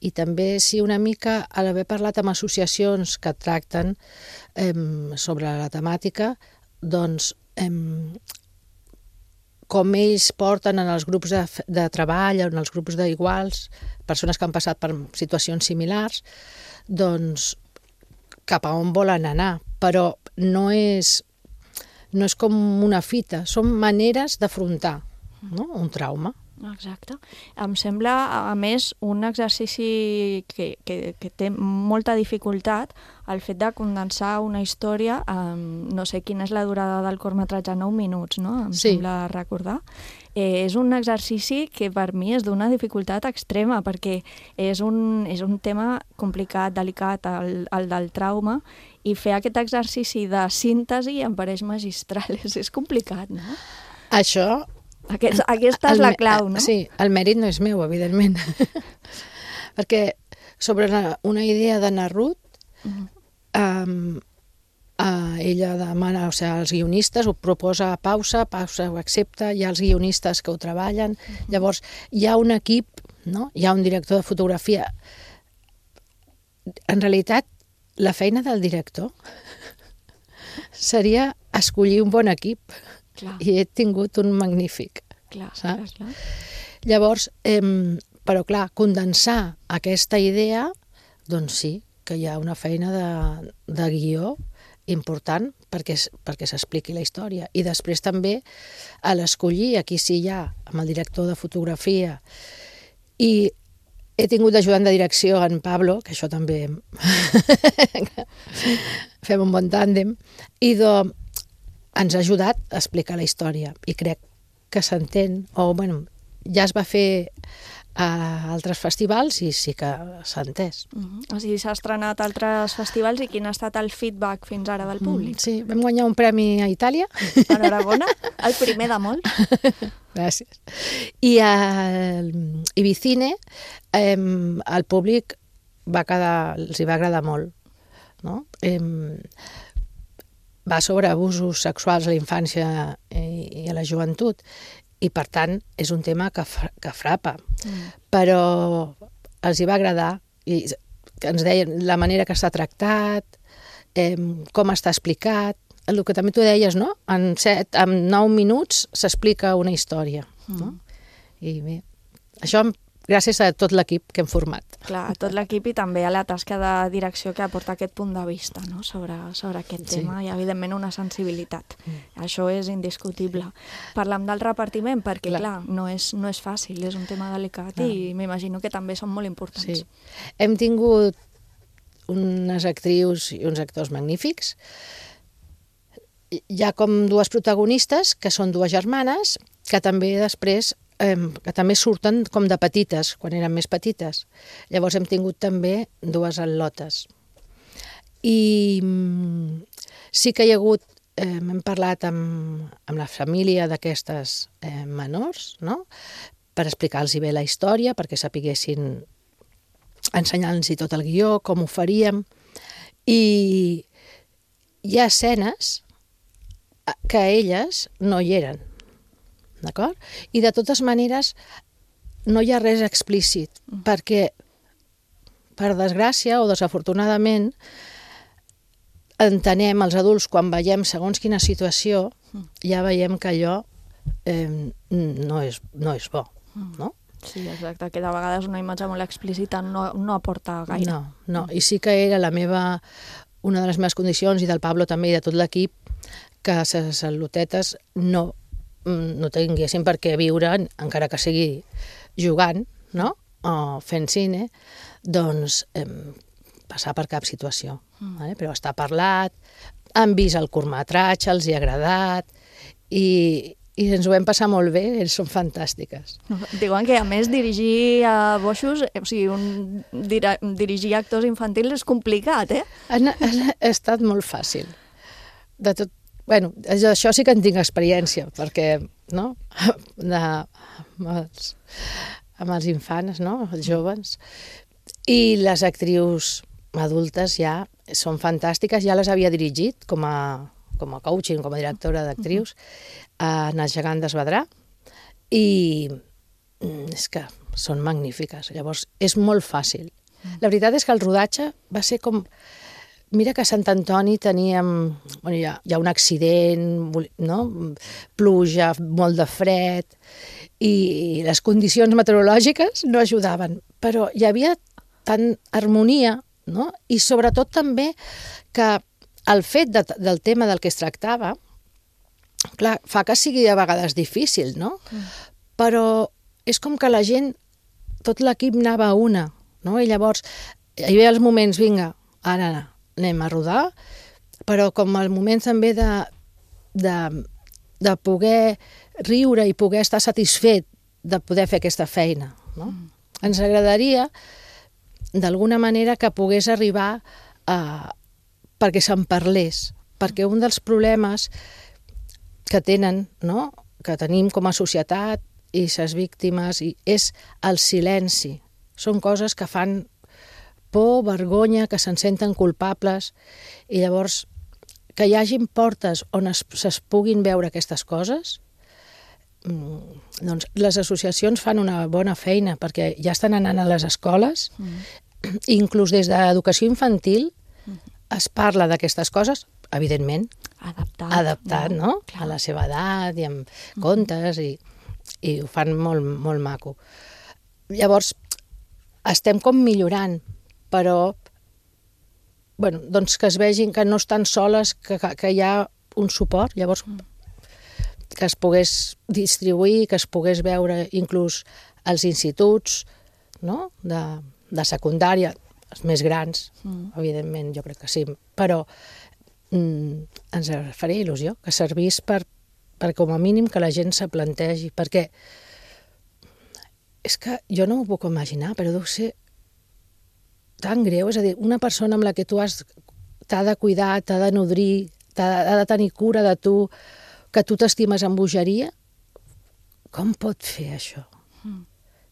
I també sí una mica, a l'haver parlat amb associacions que tracten sobre la temàtica, doncs com ells porten en els grups de treball, en els grups d'iguals, persones que han passat per situacions similars, doncs cap a on volen anar, però no és com una fita, són maneres d'afrontar un trauma. Exacte. Em sembla, a més, un exercici que té molta dificultat, el fet de condensar una història, no sé quina és la durada del curtmetratge, 9 minuts, no? Em sembla recordar. És un exercici que per mi és d'una dificultat extrema, perquè és un tema complicat, delicat, el del trauma, i fer aquest exercici de síntesi em pareix magistral. És complicat, no? Això... Aquesta és la clau, no? Sí, el mèrit no és meu, evidentment. Perquè sobre una idea de Narrut, ella demana, o sigui, els guionistes ho proposa Pausa ho accepta, hi ha els guionistes que ho treballen, llavors hi ha un equip, no? Hi ha un director de fotografia. En realitat, la feina del director seria escollir un bon equip. Clar. I he tingut un magnífic, saps? Clar. Llavors, però clar, condensar aquesta idea, doncs sí, que hi ha una feina de guió important perquè s'expliqui la història. I després també a l'escollir, aquí sí hi ha, amb el director de fotografia, i he tingut d'ajudant de direcció en Pablo, que això també fem un bon tàndem, i ens ha ajudat a explicar la història i crec que s'entén, o bueno, ja es va fer a altres festivals i sí que s'ha entès. O sigui, s'ha estrenat a altres festivals i quin ha estat el feedback fins ara del públic? Sí, vam guanyar un premi a Itàlia. Enhorabona, el primer de molts. Gràcies. I a Ibicine el públic els hi va agradar molt, no? Va sobre abusos sexuals a la infància i a la joventut i per tant és un tema que frapa, però els hi va agradar i ens deien la manera que està tractat, com està explicat, el que també tu deies, no? En 9 minuts s'explica una història, no? I bé, això gràcies a tot l'equip que hem format. Clar, a tot l'equip i també a la tasca de direcció que aporta aquest punt de vista, no? sobre aquest tema i evidentment una sensibilitat. Això és indiscutible. Parlem del repartiment perquè, clar, no és fàcil, és un tema delicat i m'imagino que també són molt importants. Sí. Hem tingut unes actrius i uns actors magnífics. Hi ha com dues protagonistes, que són dues germanes, que també després que també surten com de petites, quan eren més petites. Llavors hem tingut també dues al·lotes. I sí que hi ha hagut, hem parlat amb la família d'aquestes menors, no?, per explicar-los bé la història, perquè sapiguessin, ensenyar-los tot el guió, com ho faríem. I hi ha escenes que elles no hi eren, d'acord? I de totes maneres no hi ha res explícit, perquè per desgràcia o desafortunadament entenem els adults quan veiem segons quina situació, ja veiem que allò no és bo, no? Sí, exacte, que de vegades una imatge molt explícita no aporta gaire. No, i sí que era una de les meves condicions, i del Pablo també i de tot l'equip, que les al·lotetes no tinguessin per què viure, encara que sigui jugant, no?, o fent cine, doncs passar per cap situació. Però està parlat, han vist el curtmetratge, els hi ha agradat, i ens ho vam passar molt bé, ells són fantàstiques. Diuen que, a més, dirigir a boixos, o sigui, dirigir actors infantils és complicat, eh? Ha estat molt fàcil. De tot. Bueno, això sí que en tinc experiència, perquè, no?, amb els infants, no? Els joves. I les actrius adultes ja són fantàstiques, ja les havia dirigit com a coaching, com a directora d'actrius, en El gegant d'Esvedrà, i és que són magnífiques. Llavors, és molt fàcil. La veritat és que el rodatge va ser com... Mira que a Sant Antoni teníem... Bueno, hi ha un accident, no? Pluja, molt de fred, i les condicions meteorològiques no ajudaven. Però hi havia tant harmonia, no? I sobretot també que el fet del tema del que es tractava, clar, fa que sigui a vegades difícil, no? Però és com que la gent, tot l'equip anava a una, no? I llavors hi havia els moments, vinga, ara anem a rodar, però com el moment també de poder riure i poder estar satisfet de poder fer aquesta feina, no? Ens agradaria, d'alguna manera, que pogués arribar perquè se'n parlés, perquè un dels problemes que tenen, no?, que tenim com a societat i ses víctimes és el silenci. Són coses que fan por, vergonya, que se'n senten culpables, i llavors que hi hagin portes on es puguin veure aquestes coses, doncs les associacions fan una bona feina, perquè ja estan anant a les escoles, inclús des d'educació infantil es parla d'aquestes coses, evidentment, adaptat, no? A la seva edat i amb contes, i ho fan molt, molt maco. Llavors, estem com millorant, però doncs que es vegin que no estan soles, que hi ha un suport, llavors que es pogués distribuir, que es pogués veure inclús als instituts, no?, de secundària, els més grans, evidentment, jo crec que sí, però ens faria il·lusió que servís per com a mínim que la gent se plantegi, perquè és que jo no m'ho puc imaginar, però deu ser tan greu, és a dir, una persona amb la que tu t'ha de cuidar, t'ha de nodrir, ha de tenir cura de tu, que tu t'estimes amb bogeria, com pot fer això?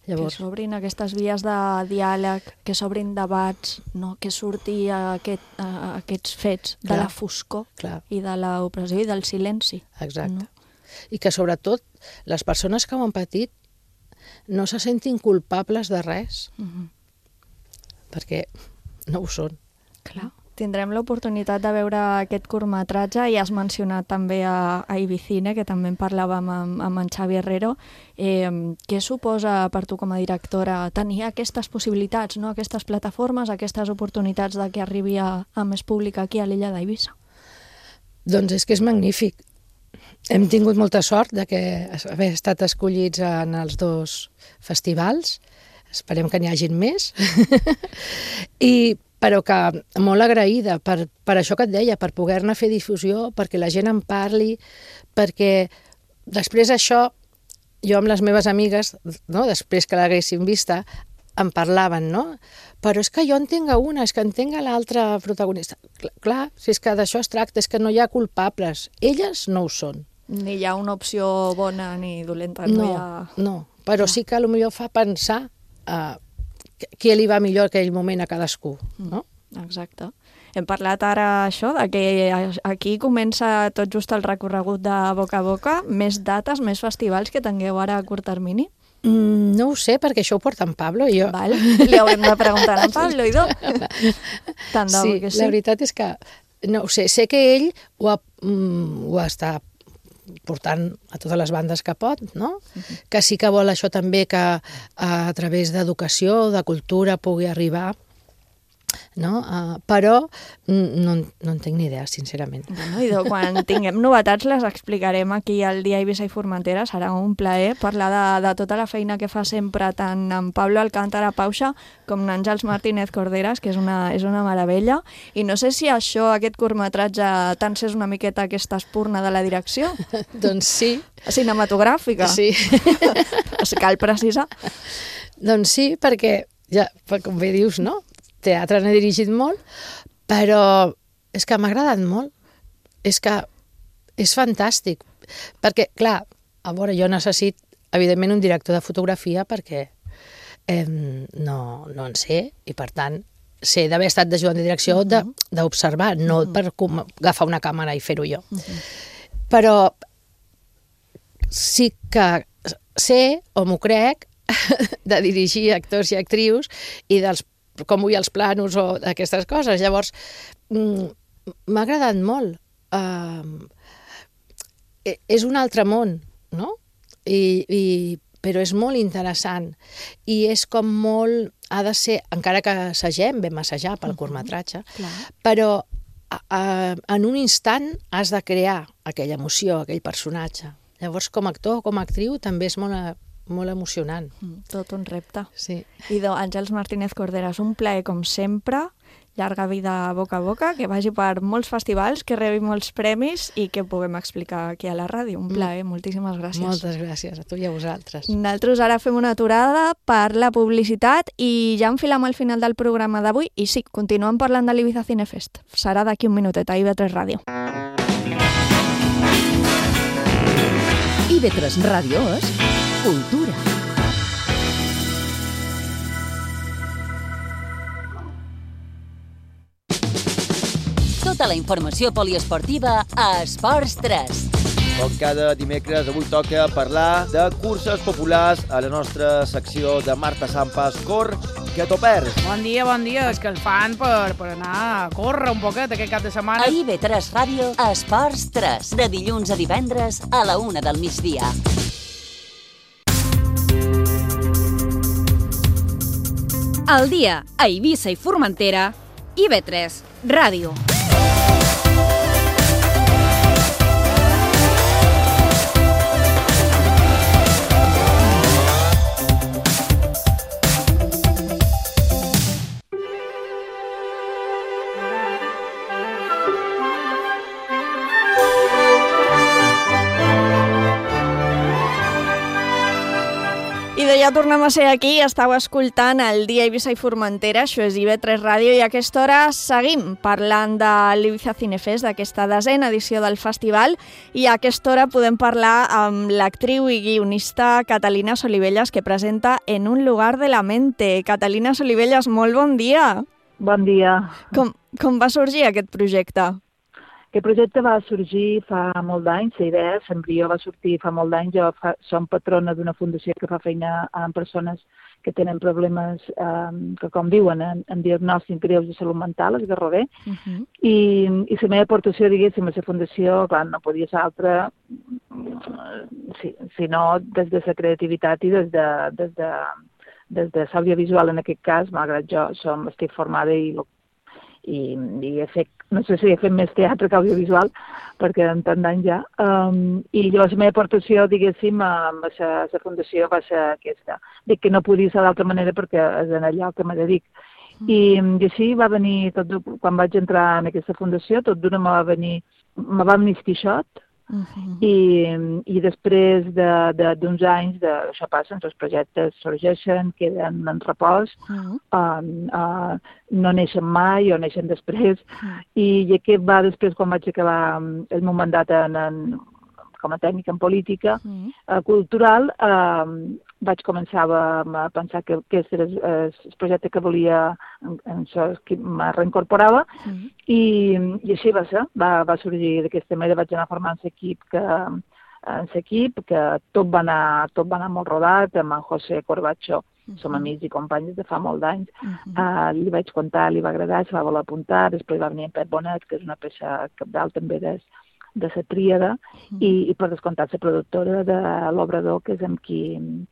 Llavors... Que s'obrin aquestes vies de diàleg, que s'obrin debats, no? Que surti aquests fets de la foscor i de l'opressió i del silenci. Exacte. No? I que sobretot les persones que ho han patit no se sentin culpables de res, perquè no ho són. Clar. Tindrem l'oportunitat de veure aquest curtmetratge i has mencionat també a Ibicine, que també en parlàvem amb en Xavi Herrero. Què suposa per tu com a directora tenir aquestes possibilitats, no? Aquestes plataformes, aquestes oportunitats de que arribi a més públic aquí a l'illa d'Eivissa? Doncs és que és magnífic. Hem tingut molta sort d'haver estat escollits en els 2 festivals. Esperem que n'hi hagin més. Però que molt agraïda per això que et deia, per poder-ne fer difusió, perquè la gent en parli, perquè després això, jo amb les meves amigues, no, després que l'haguessin vista, en parlaven, no? Però és que jo entenc una, és que entenc l'altra protagonista. Clar, si és que d'això es tracta, és que no hi ha culpables. Elles no ho són. Ni hi ha una opció bona ni dolenta. No, però sí que potser fa pensar què li va millor aquell moment a cadascú, no? Exacte. Hem parlat ara això, de que aquí comença tot just el recorregut de boca a boca, més dates, més festivals que tingueu ara a curt termini? No ho sé, perquè això ho porta en Pablo i jo. Val. Li haurem de preguntar a en Pablo i tot. Tant de bo que sí. La veritat és que, no ho sé que ell ho està portant a totes les bandes que pot, no? Que sí que vol això també que a través d'educació, de cultura, pugui arribar, no? Però no en tinc ni idea, sincerament. Bueno, i quan tinguem novetats les explicarem aquí al Dia Eivissa i Formentera. Serà un plaer parlar de tota la feina que fa sempre tant en Pablo Alcántara Pauxa com en Àngels Martínez Corderas, que és una meravella. I no sé si això, aquest curtmetratge, tant és una miqueta aquesta espurna de la direcció. Doncs sí. Cinematogràfica. Sí. Cal precisar. Doncs sí, perquè, ja, com bé dius, no? Teatre n'he dirigit molt, però és que m'ha agradat molt. És que és fantàstic. Perquè, clar, a veure, jo necessito, evidentment, un director de fotografia perquè no en sé, i per tant sé d'haver estat d'ajudant de direcció d'observar, no per agafar una càmera i fer-ho jo. Però sí que sé, o m'ho crec, de dirigir actors i actrius i dels com vull els planos o d'aquestes coses. Llavors, m'ha agradat molt. És un altre món, no? Però és molt interessant. I és com molt... Ha de ser, encara que assagem, vam assajar pel curtmetratge, però en un instant has de crear aquella emoció, aquell personatge. Llavors, com a actor o com a actriu, també és molt emocionant. Tot un repte. Sí. Idò, Àngels Martínez Corderas, un plaer com sempre, llarga vida boca a boca, que vagi per molts festivals, que rebi molts premis i que puguem explicar aquí a la ràdio. Un plaer, moltíssimes gràcies. Moltes gràcies a tu i a vosaltres. Nosaltres ara fem una aturada per la publicitat i ja enfilem al final del programa d'avui i sí, continuem parlant de l'Ibiza Cinefest. Serà d'aquí un minutet a IB3 Ràdio. IB3 Ràdio és cultura. Tota la informació poliesportiva a Esports 3. Com cada dimecres, avui toca parlar de curses populars a la nostra secció de Marta Sampas. Cor, que t'ho perds. Bon dia. És que el fan per anar a córrer un poquet aquest cap de setmana. A IB3 Ràdio, Esports 3, de dilluns a divendres a la 1 del migdia. Al dia, a Eivissa i Formentera, IB3 Ràdio. Ja tornem a ser aquí, estàu escoltant el dia Eivissa i Formentera, això és IB3 Ràdio, i a aquesta hora seguim parlant de l'Ibiza Cinefest, d'aquesta 10ª edició del festival, i a aquesta hora podem parlar amb l'actriu i guionista Catalina Solivelles, que presenta En un lugar de la mente. Catalina Solivelles, molt bon dia. Bon dia. Com va sorgir aquest projecte? Aquest projecte va sorgir fa molt d'anys, la idea, l'embrió va sortir fa molt d'anys. Jo som patrona d'una fundació que fa feina amb persones que tenen problemes que conviuen en diagnòstics greus de salut mental, el Garrover, i la meva aportació, diguéssim, a la fundació, clar, no podia ser altra, sinó des de la creativitat i des de l'audiovisual en aquest cas, malgrat jo estic formada i he fet, no sé si he fet més teatre que audiovisual, perquè en tant d'any ja. I llavors la meva aportació, diguéssim, a la fundació va ser aquesta. Dic que no podia ser d'altra manera perquè és en allò que me dedic. I així va venir, quan vaig entrar en aquesta fundació, tot d'una me va venir Quixot, i després d'uns anys, això passa, els projectes sorgeixen, queden en repòs, no neixen mai o neixen després, i aquest va després, quan vaig acabar el meu mandat com a tècnica en política cultural, vaig començar a pensar que aquest era el projecte que volia, en això que me reincorporava, i així va ser, va sorgir d'aquesta manera. Vaig anar formant l'equip, que tot va anar molt rodat, amb en José Corbacho, som amics i companys de fa molt d'anys, li vaig contar, li va agradar, se va voler apuntar, després va venir en Pep Bonet, que és una peça cabdal també de la tríada, i per descomptat la productora de l'Obrador, que és amb qui hem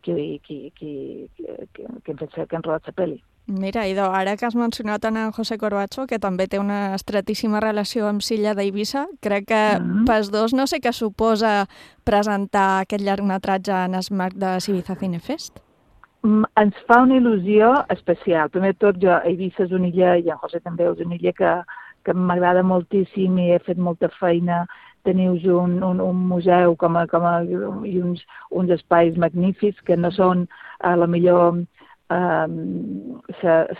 rodat la pel·li. Mira, Idò, ara que has mencionat en José Corbacho, que també té una estretíssima relació amb Silla d'Eivissa, crec que pels dos no sé què suposa presentar aquest llargmetratge en el marc de l'Ibiza Cinefest. Ens fa una il·lusió especial. Primer de tot, Eivissa és una illa, i en José també és una illa que m'agrada moltíssim i he fet molta feina. Teniu un museu i uns espais magnífics que no són a la millor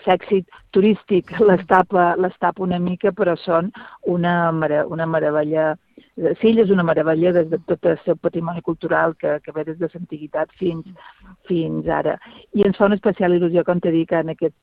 l'èxit turístic, les tapa una mica, però són una meravella Silla és una meravella des de tot el seu patrimoni cultural que ve des de l'antiguitat fins ara. I ens fa una especial il·lusió, com t'he dit, que en aquest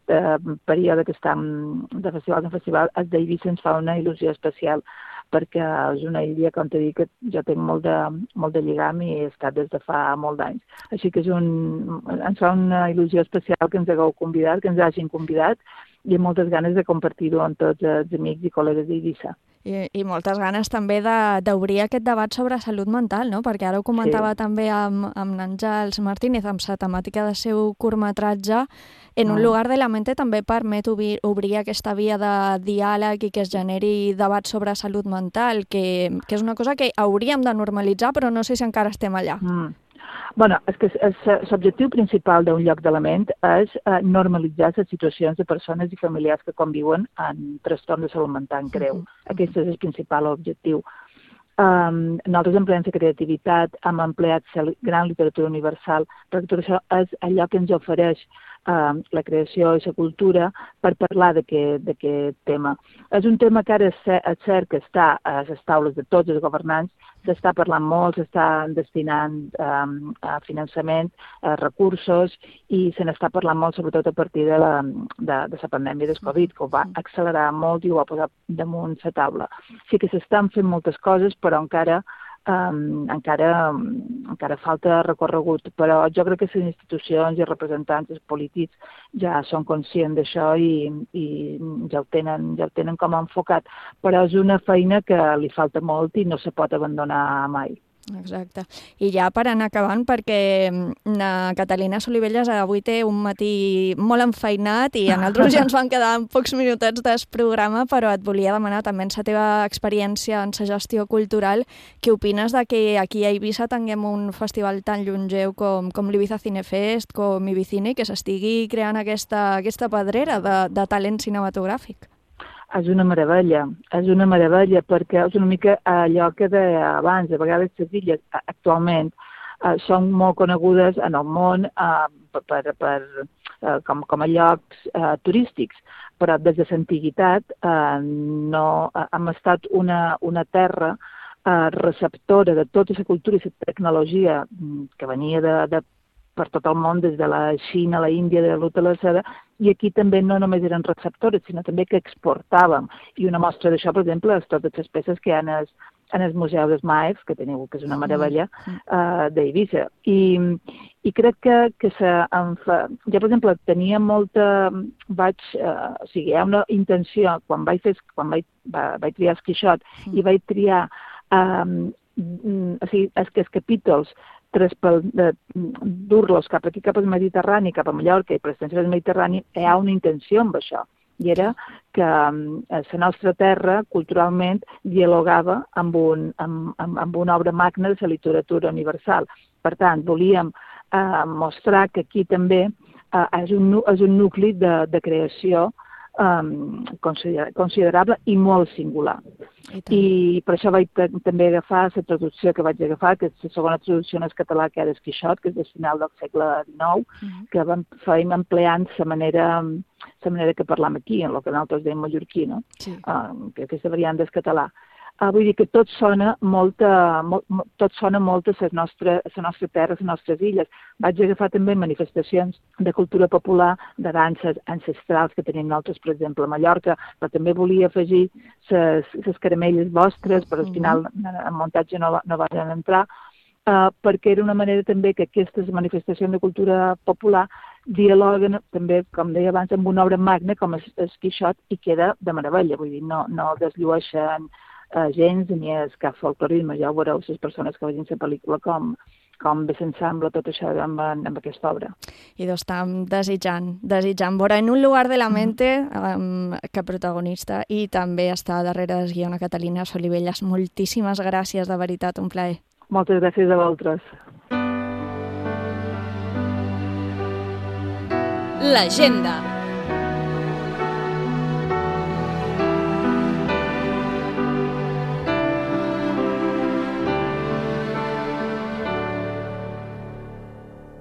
període que estem de festival en festival, el d'Eivissa ens fa una il·lusió especial, perquè és una illa, com t'he dit, que jo tinc molt de lligam i he estat des de fa molt d'anys. Així que ens fa una il·lusió especial que ens hagueu convidat, que ens hagin convidat, i amb moltes ganes de compartir-ho amb tots els amics i col·legues d'Eivissa. I moltes ganes també d'obrir aquest debat sobre salut mental, no? Perquè ara ho comentava també amb Àngels Martínez, amb la temàtica del seu curtmetratge, en un lugar de la mente també permet obrir aquesta via de diàleg i que es generi debat sobre salut mental, que és una cosa que hauríem de normalitzar, però no sé si encara estem allà. Bueno, és que l'objectiu principal d'un lloc de la ment és normalitzar les situacions de persones i familiars que conviuen en trastorn de salut mental greu. Aquest és el principal objectiu. Nosaltres empleem la creativitat, hem empleat la gran literatura universal, perquè tot això és allò que ens ofereix la creació i la cultura per parlar d'aquest tema. És un tema que ara és cert que està a les taules de tots els governants, s'està parlant molt, s'està destinant finançament, recursos, i se n'està parlant molt, sobretot a partir de la pandèmia del Covid, que ho va accelerar molt i ho va posar damunt la taula. Sí que s'estan fent moltes coses, però encara falta recorregut, però jo crec que les institucions i representants dels polítics ja són conscients d'això i ja ho tenen com enfocat, però és una feina que li falta molt i no se pot abandonar mai. Exacte. I ja per anar acabant, perquè la Catalina Solivelles avui té un matí molt enfeinat i a nosaltres ja ens van quedar pocs minutets del programa, però et volia demanar també en la teva experiència en la gestió cultural, què opines de que aquí a Eivissa tinguem un festival tan llongeu com l'Ibiza Cinefest, com Ibicine, que s'estigui creant aquesta pedrera de talent cinematogràfic? És una meravella perquè és una mica allò que deia abans, a vegades les illes actualment són molt conegudes en el món com a llocs turístics, però des de l'antiguitat no hem estat una terra receptora de tota la cultura i la tecnologia que venia per tot el món, des de la Xina, la Índia, de l'Uta a la Seda, i aquí també no només eren receptores, sinó també que exportàvem. I una mostra d'això, per exemple, és totes les peces que hi ha en el Museu dels Maefs, que teniu, que és una meravella, d'Eivissa. I crec que jo, per exemple, tenia molta... hi ha una intenció, quan vaig triar el Quixot i vaig triar els capítols dur-los cap aquí, cap al Mediterrani, cap a Mallorca i per l'extensió del Mediterrani, hi ha una intenció amb això. I era que la nostra terra, culturalment, dialogava amb una obra magna de la literatura universal. Per tant, volíem mostrar que aquí també és un nucli de creació considerable i molt singular. I per això vaig també agafar la traducció que vaig agafar, que és la segona traducció en català, que era el Quixot, que és del final del segle XIX, que fèiem empleant la manera que parlam aquí, en el que nosaltres dèiem mallorquí, no? Que aquesta variant del català. Vull dir que tot sona molt a la nostra terra, a les nostres illes. Vaig agafar també manifestacions de cultura popular, de danses ancestrals que tenim nosaltres, per exemple, a Mallorca, però també volia afegir les caramelles vostres, però al final en muntatge no van entrar, perquè era una manera també que aquestes manifestacions de cultura popular dialoguen també, com deia abans, amb una obra magna com el Quixot, i queda de meravella, vull dir, no desllueixen gens ni és cap folclorisme. Ja ho veureu les persones que vegin la pel·lícula com bé s'ensambla tot això amb aquesta obra. I estem desitjant veure en un lugar de la mente que protagonista i també està darrere del guió una Catalina Solivelles. Moltíssimes gràcies, de veritat, un plaer. Moltes gràcies a vosaltres. L'agenda.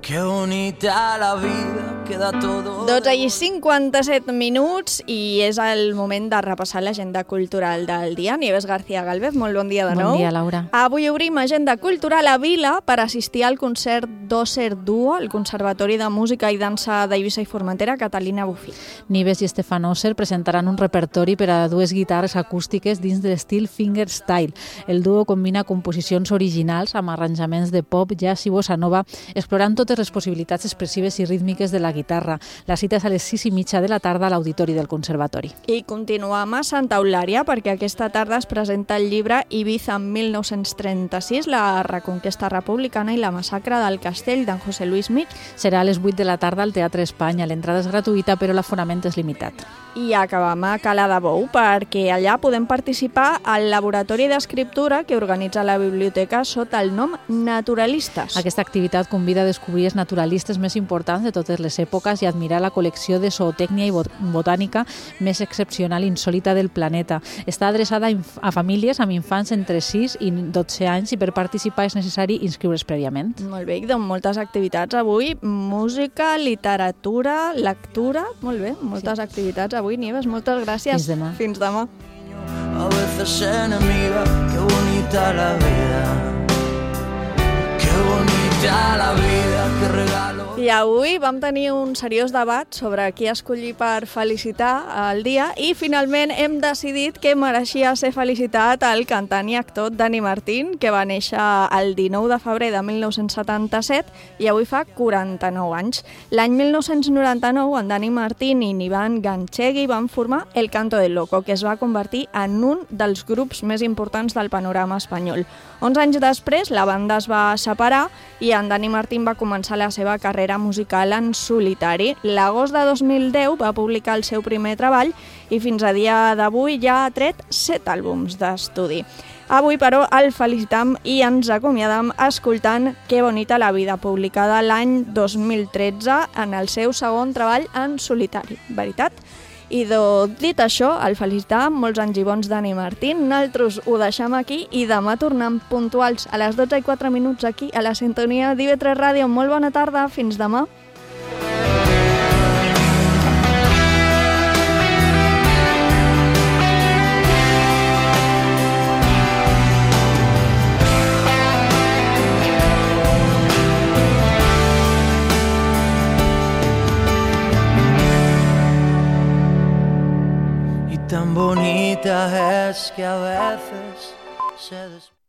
Qué bonita la vida 12:57 i és el moment de repassar l'agenda cultural del dia. Nieves García Galvez, molt bon dia de nou. Bon dia, Laura. Avui obrim agenda cultural a Vila per assistir al concert d'Ósser Duo, al Conservatori de Música i Dansa d'Eivissa i Formentera, Catalina Bufí. Nieves i Stefan Ósser presentaran un repertori per a dues guitarres acústiques dins de l'estil fingerstyle. El duo combina composicions originals amb arranjaments de pop, jazz i bossa nova, explorant totes les possibilitats expressives i rítmiques de la guitarra. La cita és a les 6:30 de la tarda a l'Auditori del Conservatori. I continuem a Santa Eulària perquè aquesta tarda es presenta el llibre Ibiza en 1936, la reconquesta republicana i la massacre del castell d'en José Luis Mir. Serà a les 8 de la tarda al Teatre Espanya. L'entrada és gratuïta, però l'aforament és limitat. I acabem a Cala de Bou perquè allà podem participar al laboratori d'escriptura que organitza la biblioteca sota el nom Naturalistes. Aquesta activitat convida a descobrir els naturalistes més importants de totes les èpoques i admirar la col·lecció de zootècnia i botànica més excepcional i insòlita del planeta. Està adreçada a famílies amb infants entre 6 i 12 anys i per participar és necessari inscriure's prèviament. Molt bé, doncs moltes activitats avui, música, literatura, lectura, molt bé, moltes activitats avui, Nieves, moltes gràcies. Fins demà. Fins demà. A veces enemiga, qué bonita la vida, qué bonita la vida, qué regalo. I avui vam tenir un seriós debat sobre qui escollir per felicitar el dia i finalment hem decidit que mereixia ser felicitat el cantant i actor Dani Martín, que va néixer el 19 de febrer de 1977 i avui fa 49 anys. L'any 1999 en Dani Martín i Iván Ganchegui van formar El Canto del Loco, que es va convertir en un dels grups més importants del panorama espanyol. 11 anys després la banda es va separar i en Dani Martín va començar la seva carrera musical en solitari. L'agost de 2010 va publicar el seu primer treball i fins a dia d'avui ja ha tret 7 àlbums d'estudi. Avui, però, el felicitam i ens acomiadam escoltant Que bonita la vida, publicada l'any 2013 en el seu segon treball en solitari. Veritat? I dit això, el felicitam, molts anys i bons Dani Martín, nosaltres ho deixem aquí i demà tornem puntuals a les 12:04 aquí a la sintonia d'IV3 Ràdio. Molt bona tarda, fins demà. Tan bonita es que a veces se despierta.